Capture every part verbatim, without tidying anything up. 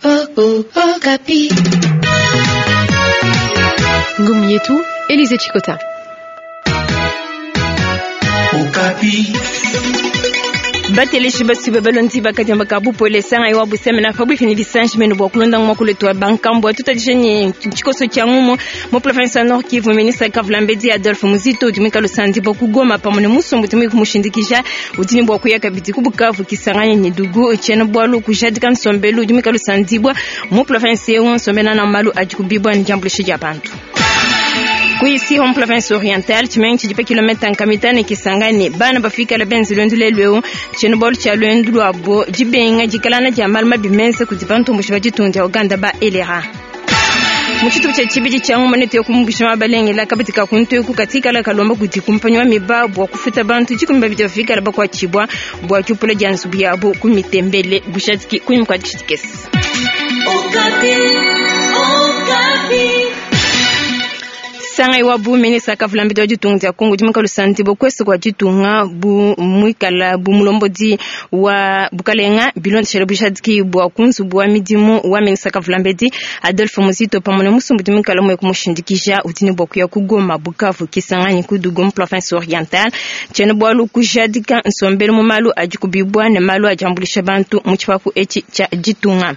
Okapi. Ngumi yetu, Elize Chikota. Okapi. Bateleshi basuba balonzi bakadiamba ka bupole sanga iwa busemena pabuifi ni bisanji meno bua kulonda mwakuletu wa bankambua tutadisha ni tshikoso tshia ngumu mu province ya Nord Kivu. Ministre Kavulambedi Adolphe Muzito udi mwikala usandi bua kugoma pamwe ne musumbu udi mwiki mushindikisha udi ne bua kuya kabidi ku Bukavu Kisangani ne Dugu tshiena bualu kujadika nsombelu udi mwikala usandibwa mu province eu nsombela na malu adi kubibwa ne diambulisha dia bantu kuisi home province orientale tshimenyi tshidi pa kilomita nkamitane Kisangani bana bafikala benzi lwendu lelu eu tshiena bualu tshia lwendu lwabo dibenga dikalana dia malu mabi menza kudi bantomboshi ba ditunga dia Uganda ba elera mu tshitupa tshia tshibidi tshia nguma netu yakumbusha mabalengela kabidi ka kuntu eku katikala kalomba kudi kumpanyi wa miba bua kufuta bantu dikumi babidi bafikala bakuatshibua bua diupula dia nzubu yabo ku mitembele bushadiki kunyima kua dishidikesi. Okapi. Okapi. Sanga iwa bu ministre Kavulambedi wa ditunga dia Kongo dimuka lusanti bokwesi kwa ditunga bu mwikala bu mulombodi wa bukalenga bilondeshele bushadiki bua kunzubu wa midimu wa ministre Kavulambedi Adolphe Muzito pamwe ne musumbu dimikala mwe kumushindikisha udi ne bua kuya ku Goma, Bukavu, Kisangani ku Dugu mu province orientale tshiena bualu kujadika nsombelu mu malu adi kubibwa ne malu adi ambulisha bantu mu tshipapu etshi tshia ditunga.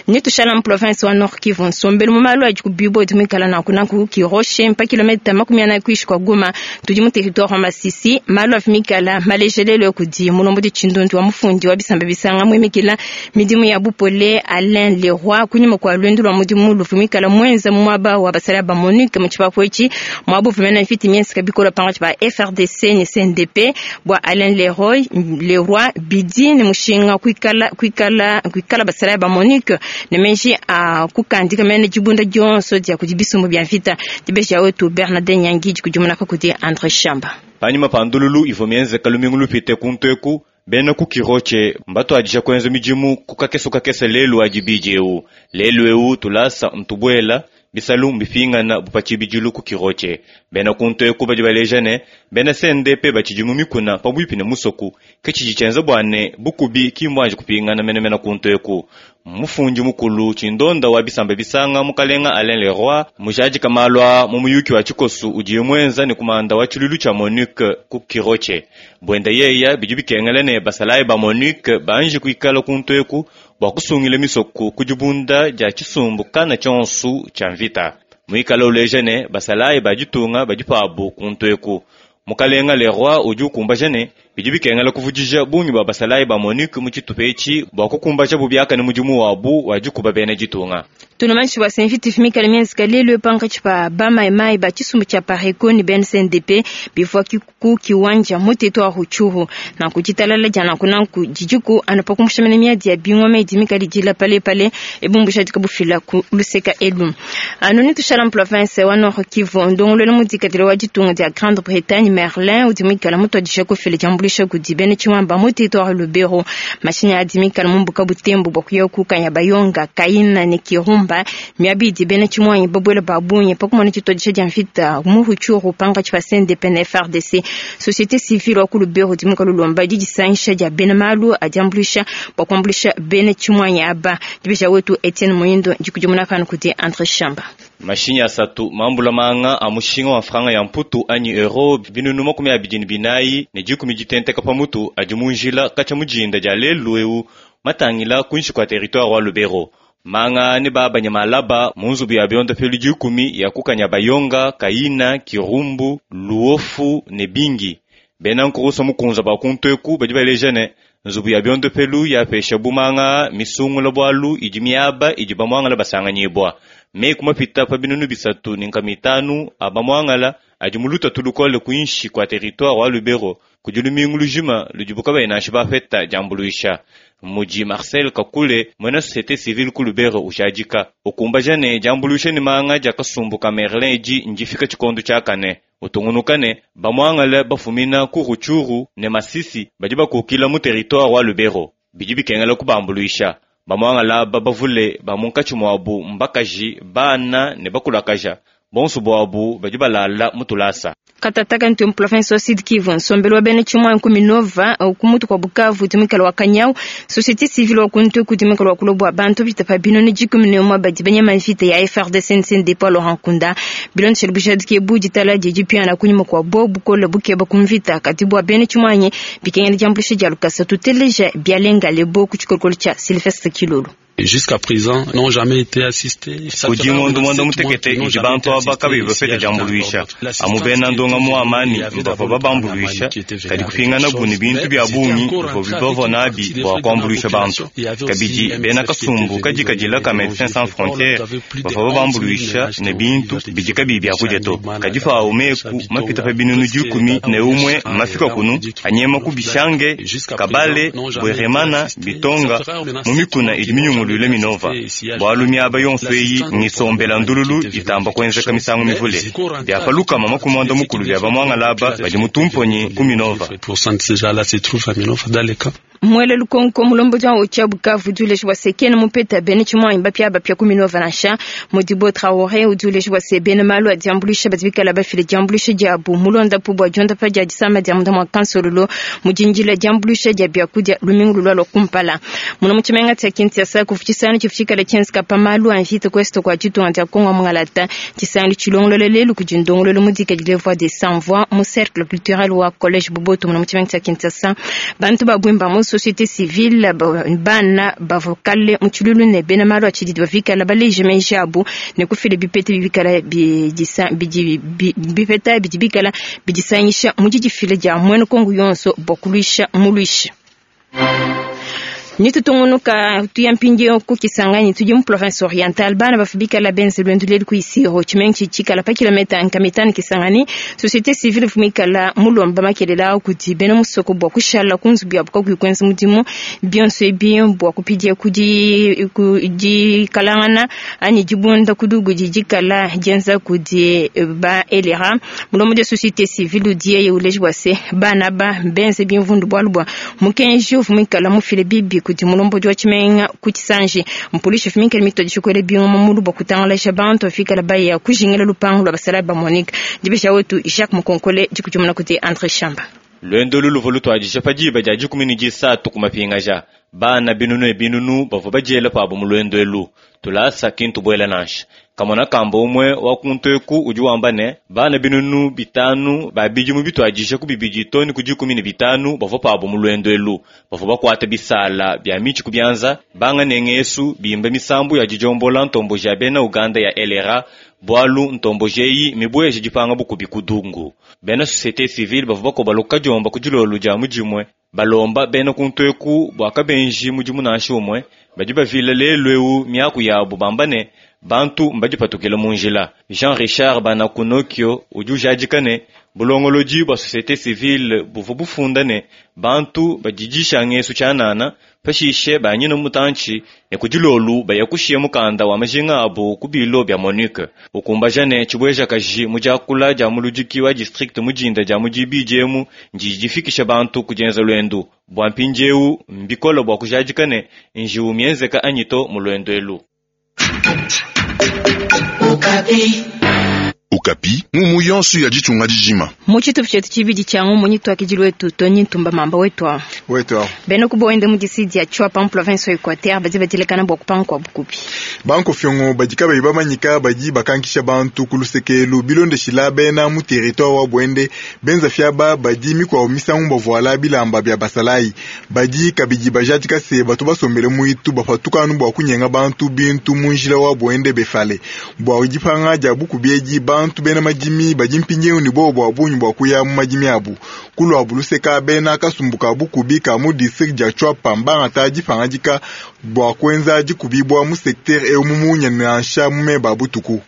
Netushala mu province wa Nord Kivu nsombelu mu malu adi kubibwa udi mwikala nanku nanku Kiroshe mpa kilomita makumi anayi kuishi kwa Goma tudi mu territoire wa Masisi malu avimikala malejelelo kudi mulombodi tshindundu wa mufundi wa bisamba bisanga mwimikila midimu ya bupole Alain Leroy kunyima kwa lwendu lwa mudimu luvumikala mwenza mu mwaba wa basala ba MONUC mu tshipapu etshi mwabo vumena mfiti miensi kabikola pangatshi ba F R D C ne C N D P bua Alain Leroy Leroy bidi ne mushinga kuikala kuikala kuikala basala ba MONUC ne menji a kukandika mene dibunda dionso dia kudi bisumbu bia mvita dibeja wetu Bernardin Nyangi dikudimuna kudi Andre Shamba. Panyima pa ndululu ivua mienzeka lumingu lupite kuntu eku bena ku Kiroche mbatuadija kuenza midimu ku kakeso kakese lelu adi bidi eu lelu eu tulasa ntubuela bisalu mbipingana bupatshibidilu ku Kiroche bena kuntu eku badi baleja ne bena C N D P batshidi mu mikuna pabuipi ne musoku ke tshidi tshienza bua ne bukubi ki mbuanji kupingana menemene kuntu eku. Mufundi mukulu tshindonda wa bisamba bisanga mukalenga Alain Leroy mujadika malwa mu muyuki wa tshikosu udiye muenza ne kumanda wa tshilulu tshia MONUC ku Kiroche bwenda yeya bidi bikengela ne basalayi ba MONUC banji kuikala kuntu eku bua kusungila misoku ku dibunda dia tshisumbu kana tshionsu tshia mvita muikala uleja ne basalayi ba ditunga badi pabu kuntu eku. Mukalenga Leroy udi ukumbaja ne bidi bikengela kuvudija bungi bua basalayi ba MONUC mu tshitupa etshi bua kukumbaja bubiakane mudimu wabu wa dikuba bena ditunga. Tunamanshi wa senfiti fimikala mienzika lelu pankatshi pa bamaimai ba tshisumbu tshia Pareco ne B N C N D P bivua ku kiwanja mu territoire Rutshuru nanku ditalala dia nanku nanku didiku anu pa kumbusha mene miadi ya bingoma idi mikale dila palepale ebumbusha dikabufila ku luseka elu. Anu netushala mu province wa Nord Kivu ndongoluelu mudikadile wa ditunga dia Grande-Bretagne Merlin udi muikala mutuadija kufila diambulisha kudi bena tshiwamba mu territoire Lubero mashinyi adi mikala mu mbuka Butembo bua kuya ku Kanyabayonga Kaina ne Kirumba miabidi bena tshimwanyi babwela babunye pakumona tshituadisha dia mvita mu Rutshuru pankatshi pa C N D P na F R D C. Société civile wa ku Lubero di muka lulomba didisangisha dia bena malu adiambulisha bua kuambulisha bena tshimwanyi aba. Dibeja wetu Etienne Moyindo dikudimuna pano kudi Andre Shamba. Mashinyi asatu mambula manga a mushinga wa franga ya mputu anyi euro binunu makumi abidi ne binayi ne dikumi ditenteka pamutu adi mu njila katshia mujinda dia lelu eu matangila kuinshi kua territoire wa Lubero. Manga ne babanya malaba mu nzubu ya biondopelu dikumi ya kukanya Bayonga, Kaina, Kirumbu, Luofu ne Bingi. Bena nkurusa mukunza ba kuntu eku badi baleja ne nzubu ya biondopelu yapesha bumanga misungula bwalu idi miaba idi bamwangala basanganyibwa. Meku mapita pa binunu bisatu ne nkama itanu abamwangala adi mu lutatu lukole kuinshi kua territoire wa Lubero kudi lumingu lujima ludibu kabayi nansha bapeta diambuluisha. Mudi Marcel Kakule mwena société civile ku Lubero ujadika ukumbaja ne diambuluisha ne manga dia kasumbu ka Merlin edi ndifika tshikondo tshiakane. Utungunuka ne bamwangala bafumina ku Rutshuru ne Masisi badi bakukila mu territoire wa Lubero bidi bikengela kubambuluisha. Bamwangala aba bavule ba munkatshi muabu mbakaji bana ne bakulakaja Bonso bwabu badi balala mu tulasa. Katataka ntu province wa Sud Kivu nsombelu wa bena tshimua ku Minova ku mutu kwa Bukavu tumikala wa Kanyau société civile wa kuntu ku tumikala wa kulobo wa bantu bitapa bino ne dikumi ne umue badi banyama mvita ya F R D C N C N D Paul Laurent Nkunda bilondeshele bujadiki bu ditala didi piana kunyuma kwa bo bukole bukeba ku mvita kati bwa bena tshimua bikengela diambuluisha dia lukasa tuteleja bialenga lebo ku tshikolokolo tshia Sylvestre Kilolo. Jusqu'à présent, n'ont jamais été assistés. Kudi ngondo mwanda mutekete idi bantu aba kabayi bapeta diambuluisha. Amu bena ndonga mu amani bavua babambuluisha, kadi kupingana bu ne bintu bia bungi bivua bibavua nabi bua kuambuluisha bantu. Kabidi bena kasumbu kadi kadila ka Médecins Sans Frontières bavua babambuluisha ne bintu bidi kabiyi bia kudia to. Kadi pawu meku mapita pa binunu dikumi ne umue mafika kunu anyema ku Bishange, Kabale, Bweremana, Bitonga mu mikuna idi minyungulu lule Minova. Bwalu miaba yonso eyi ngisombela ndululu itamba kuenzeka misangu mivule. Byapaluka mama kumwanda mukulu bya bamwangalaba badi mutumponyi ku Minova. Mwele lukonko mulombo wa ocha Bukavu duleshi wa sekene mupeta bene chimwa imbapya bapya ku Minova nansha Modibo Traoré uduleshi wa sebene malu adiambulisha batibikala bafile diambulisha diabu mulonda pu bwa jonda pa dia disama dia munda mwa kansololo mujinjila diambulisha dia byakudia lumingu lwa kumpala muno muchimenga tya Kinshasa kufuchisana chifuchikala chenska pa malu anvita kwesto kwa chitu antia Kongo mungalata chisani chilongolole lelu kujindongolole mudika dile voix des sans voix mu cercle culturel wa collège Boboto muno muchimenga tya Kinshasa bantu babwimba mu société civile bana bavokale mutshilulu ne bena malu atshidi bavikala baleje menji abu ne kufile bipete bibikala bidisa bidi bipeta bidi bikala bidisanyisha mujidifile dia mwene Kongo yonso bokuluisha muluisha. Nitutungunuka tuyampingi ku Kisangani tudi mu province orientale bana bafubikala benze lwendu lelu ku Isiro tshimengi tshikala pa kilometa nkamitano Kisangani société civile fumikala mulomba makelela kuti bena musoko bwa kushala kunzu bya buka kwenza mudimu bionso ebi bwa kupidia kudi kudi kalangana ani dibunda kudugu didikala dienza kudi ba elera mulombo de société civile udie uleji bwase bana ba benze bimvundu bwalu bwa mukenji ufumikala mufile bibi kuti mulombo wa tshimenga kutshisanji mpolisi fumikela mitodisha kwele bingo mumulu bwa kutangalasha bantu afikala baya kujingela lupango lwa basala ba Monique dibesha wetu Jacques Mukonkole dikutumuna kuti André Chamba. Lwendo luluvo lutwadisha padiba dia dikumi ne disatu ku mapingaja bana binunu e binunu bavua badiela pabo mu lwendo elu tulasa kintu buela nansha kamona kamba umwe wa kuntu eku udi wamba ne bana binunu bitanu babidi mu bitwadisha ku bibidi toni ku dikumi ne bitanu bavua pabo mu lwendo elu bavua bakuata bisala bya mitshi ku byanza banga nengesu bimba misambu ya dijombola ntombo ja bena Uganda ya L R A bwalu ntombo jeyi mibuyeje dipanga bukubi kudungu bena société civile bavua bakoba kadiomba ku dilolo dia mudimue balomba bena kuntu eku bua kabenji mudimu nansha umue badi bavila lelu eu miaku yabu bamba ne bantu mbadipatukile mu njila. Jean Richard Banakunokio udi ujadika ne bulongolodi bua société civile buvua bufunda ne bantu badidisha ngesu tshianana pashishe banyina mutantshi ne kudilolu baya kushiya mukanda wa majinga abu ku bilo bya Monique ukumbaja ne tshibweja kaji mu diakula dia muludiki wa district mujinda dia mudibidi emu ndidifikisha bantu kudienza lwendu bua mpindieu mbikola bua kujadika ne njiwu mienzeka anyito mu lwendo elu. Okapi. Okapi, mumu yonso ya ditunga dijima. Mu tshitupa tshietu tshibidi tshia ngumu nyitwakidile wetu Tony Ntumba mamba wetu awu. Wetu awu. Bena kuboende mu disidi ya Tshuapa mu province ya Equateur badi badilekana bua kupanga kwa bukubi. Banko fyongo badi kabayi bamanyika badi bakankisha bantu ku lusekelu bilondeshila bena mu territoire wa Bwende benza fyaba badi mikwabo misangu bavuala bilamba bya basalayi badi kabidi bajadika se batu basombele muitu bapatukanu bua kunyenga bantu bintu mu njila wa Bwende befale bua dipanga dia bukubi edi bantu bena madimi badi mpindieu ne bobo bua bungi bua kuya mu madimi abu kulua buluseka bena kasumbuka bukubi ka mu district dia Tshuapa mbangata dipangadika bua kuenza dikubibua mu secteur eu mu munya nansha mu meba butuku.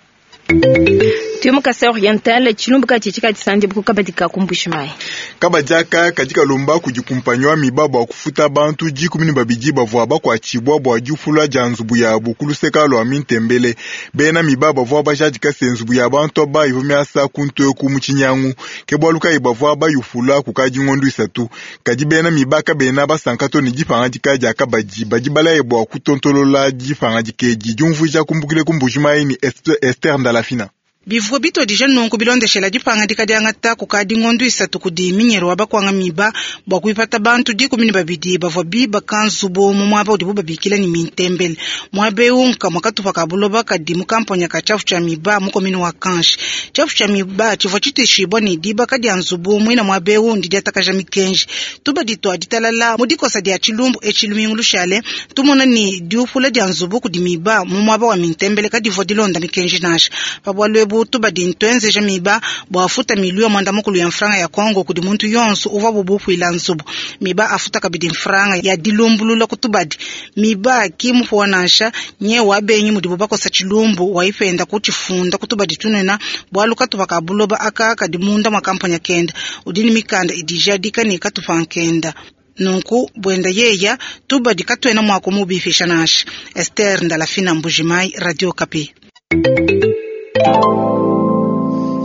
Tuyo mu Kasai Oriental tshilumbu tshitshika tshisandi buku kabadi ka kumbushimai. Kabadiaka katika lomba kudikumpanywa miba bua kufuta bantu dikumi ne babidi bavua bakuatshibua bua diufula dia nzubu yabu ku luseka lua Mintembele. Bena miba bavua bajadika se nzubu ya bantu aba ivua miasa kuntu eku mu tshinyangu. Ke bualu kayi bavua bayufula kukadi ngondu isatu. Kadi bena miba kabena basanka to ne dipangadika dia kabadi badi balaye bua kutontolola dipangadika edi diumvuija kumbukile ku Mbujimayi ni Esther Ndalafina. Bivua bitodija nunku bilondeshela dipangadika diangata kukadi ngondo isatu kudi minyero wa bakwanga miba bua kuipata bantu dikumi ne babidi bavua bibaka nzubu mu muaba udibu babikila ne mintembele. Muaba eu nkamue katupa ka buloba kadi mu kamponya ka tshiafu tshia miba mu komini wa Kanshi. Tshiafu tshia miba tshivua tshitishibua ne dibaka dia nzubu muina muaba eu ndi diatakaja mikenji. Tubadi tua ditalala mu dikosa dia tshilumbu etshi lumingu lushale tumona ne diupula dia nzubu kudi miba mu muaba wa mintembele kadivua dilonda mikenji nansha. Pa bualu ebu tubadi ntwenzeja miba bua afuta milio mwanda mukulu ya mfranga ya Kongo kudi muntu yonso uvua bubupuila nzubu. Miba afuta kabidi mfranga ya dilumbulula kutubadi. Miba kimupuwa nansha nye wabenyi mudibu bakosa tshilumbu waipenda kuchifunda kutubadi tunena bwalu katupa ka buloba aka kadi munda mwa kampanya kenda udini mikanda idijadika ne katupa nkenda. Nunku bwenda yeya tubadi katwena mwa kumubifisha nansha. Esther Ndalafina, Mbujimai, Radio Okapi.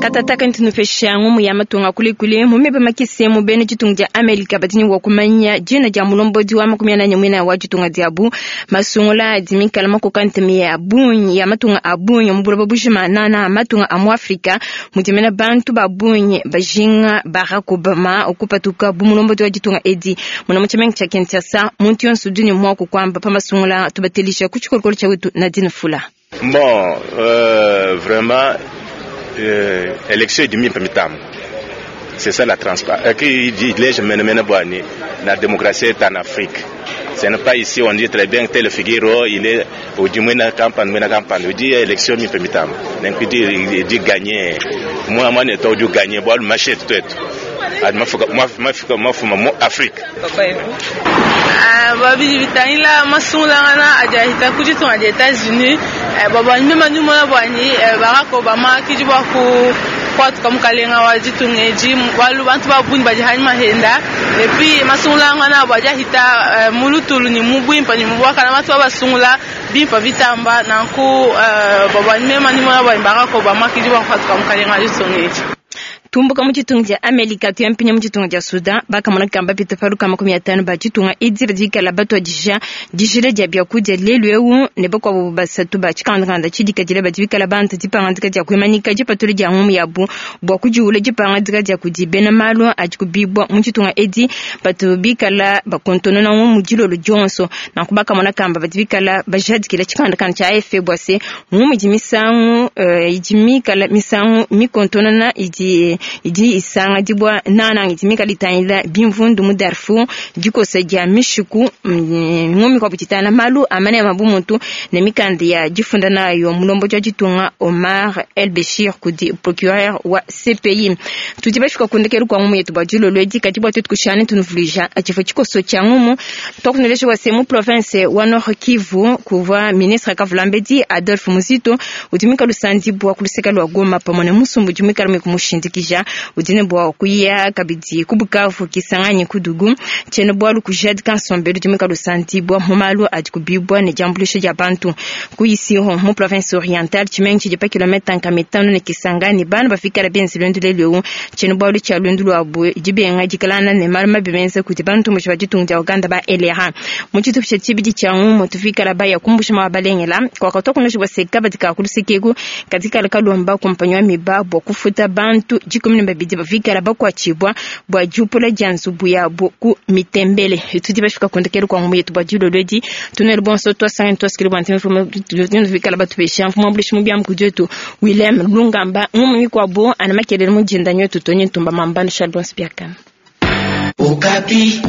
Katataka ntunufesha ngumu ya matunga kulikuli mumebe makise mubene ditunga dia Amerika badini wa kumanya jina dia mulombodi wa makumi anane mwina wa ditunga diabu masungula dimikala makokante ya bunyi ya matunga abunyi mubuloba bujima nana matunga amu Afrika mudimena bantu babunyi bajinga Barack Obama okupatuka bu mulombodi wa ditunga edi muna muchamenga cha Kinshasa muntu yonso dini mwa kukwamba pa masungula tubatelisha kuchikolokolo cha wetu Nadine Fula. Bon, euh, vraiment Euh, élection est demi c'est ça la transparence. Qui dit la démocratie est en Afrique. Ce n'est pas ici on dit très bien tel figure il est au du moins campagne moins campagne on dit élection mi pemitam. Donc il dit il dit gagner. Moi moi n'est pas du gagner bon marché tout tout. Moi moi moi moi Afrique. Babidi bitangila masungula na ajahita kujitunga des États-Unis baba mema nyuma bwani Barack Obama kijibwa ku kwatuka mukalenga wa jitungeji balu bantu babuni bajihani mahenda et puis masungula ngana bajahita mulutulu ni mubwimpa ni mubwaka na batu basungula bimpa bitamba nanku baba mema nyuma bwani Barack Obama kijibwa kwatuka mukalenga wa jitungeji. Tumbuka mu ditunga dia Amerika tuyampinya mu ditunga dia Sudan bakamona kamba pita paluka makumi atano ba ditunga edi badikala batwadija dijila dia biakudia lelu eu ne bakuabo basatu ba tshikandakanda tshidikadila badibikala bantu dipangadika dia kuimanika dipatula dia ngumu yabu bua kudiula dipangadika dia kudi bena malu adi kubibwa mu ditunga edi batu bikala bakontonona ngumu dilolo dionso nanku bakamona kamba badibikala bajadikila tshikandakanda tshia A F P bua se ngumu idi misangu uh, idi mikala misangu mikontonona idi idi isanga dibwa nana idi mikala itangila bimvundu mu Darfur dikosa dia mishiku ngumi kwa butitana malu amane mabumuntu ne mikanda ya difunda nayo mulombo jwa ditunga Omar El Bashir kudi procureur wa C P I. Tudi bashika kundekelu kwa ngumu yetu bwa dilolo edi kati bwa tutu kushane tunuvulija achifo chikoso cha ngumu twakunelesha wa semu province wa Nord Kivu kuva ministre Kavulambedi Adolphe Muzito utumika lusandi bwa kuluseka lwa Goma pamwe musumbu jumika mekumushindikija udine bwa kuya kabidi kubukavu kisanganye kudugu chene bwa lukujadi kansombelu jumika lusandi bwa mumalu adi kubibwa ne jambulisho ja bantu kuyisiho mu province orientale chimengi chipa kilomita nkamitano ne kisangani bana bafikala benzi lwendu leleu chene bwa lucha lwendu lwabu jibenga jikalana ne malu mabibenze kuti bantu mu chibajitunga ja Uganda ba L R A mu chitu cha chibidi cha ngumu tufikala baya kumbusha mabalengela kwa katokunosha bwa sekaba dikakulusikeku katika kalomba kompanywa miba bwa kufuta bantu jikumi na babidi bafikala bakwachibwa bwa jupula dia nzubu yabo ku mitembele tudi bafika kundekelu kwa ngumu yetu bwa dilolodi tunelo bonso twasanga twasikili bwa ntimfumo tufikala batubesha mfumo mbulishi mubya mkudyetu William Lungamba ngumu mikwabo anamakelele mujinda nyotu tonye ntumba mambano Charles Bonspiakana. Okapi.